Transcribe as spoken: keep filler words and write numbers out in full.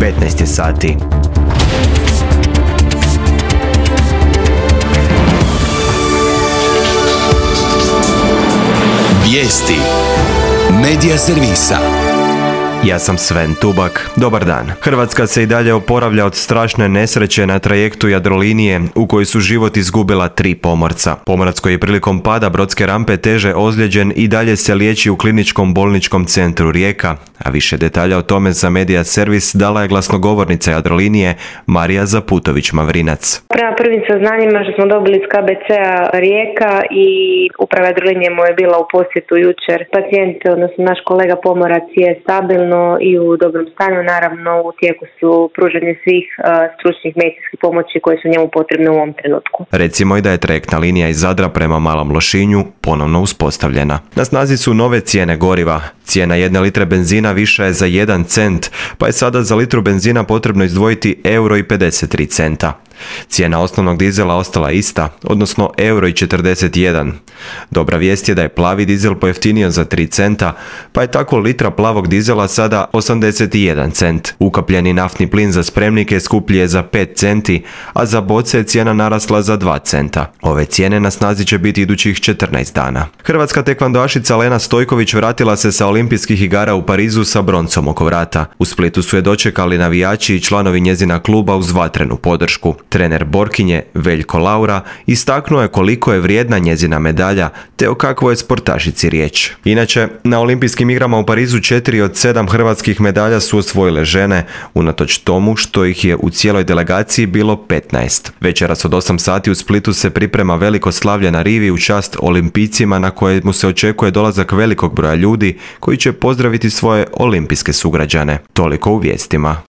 petnaest je sati. Vijesti Medija servisa. Ja sam Sven Tubak. Dobar dan. Hrvatska se i dalje oporavlja od strašne nesreće na trajektu Jadrolinije u kojoj su život izgubila tri pomorca. Pomorac koji je prilikom pada brodske rampe teže ozlijeđen i dalje se liječi u kliničkom bolničkom centru Rijeka, a više detalja o tome za Medija servis dala je glasnogovornica Jadrolinije Marija Zaputović-Mavrinac. Prema prvim saznanjima što smo dobili iz K B C-a Rijeka i uprava Jadrolinije mu je bila u posjetu jučer. Pacijent, odnosno naš kolega pomorac, je stabilno i u dobrom stanju. Naravno, u tijeku su pružanje svih uh, stručnih medicinskih pomoći koje su njemu potrebne u ovom trenutku. Recimo i da je trajektna linija iz Zadra prema Malom Lošinju ponovno uspostavljena. Na snazi su nove cijene goriva. Cijena jedne litre benzina viša je za jedan cent, pa je sada za litru benzina potrebno izdvojiti euro i pedeset tri centa. Cijena osnovnog dizela ostala ista, odnosno euro i četrdeset jedan. Dobra vijest je da je plavi dizel pojeftinio za tri centa, pa je tako litra plavog dizela sada osamdeset jedan cent. Ukapljeni naftni plin za spremnike skuplji je za pet centi, a za boce je cijena narasla za dva centa. Ove cijene na snazi će biti idućih četrnaest dana. Hrvatska tekvandoašica Lena Stojković vratila se sa olimpijskih igara u Parizu sa broncom oko vrata. U Splitu su je dočekali navijači i članovi njezina kluba uz vatrenu podršku. Trener borkinje Veljko Laura istaknuo je koliko je vrijedna njezina medalja te o kakvoj je sportašici riječ. Inače, na olimpijskim igrama u Parizu četiri od sedam hrvatskih medalja su osvojile žene, unatoč tomu što ih je u cijeloj delegaciji bilo petnaest. Večeras od osam sati u Splitu se priprema veliko slavlje na rivi u čast olimpijcima na kojemu se očekuje dolazak velikog broja ljudi koji će pozdraviti svoje olimpijske sugrađane. Toliko u vijestima.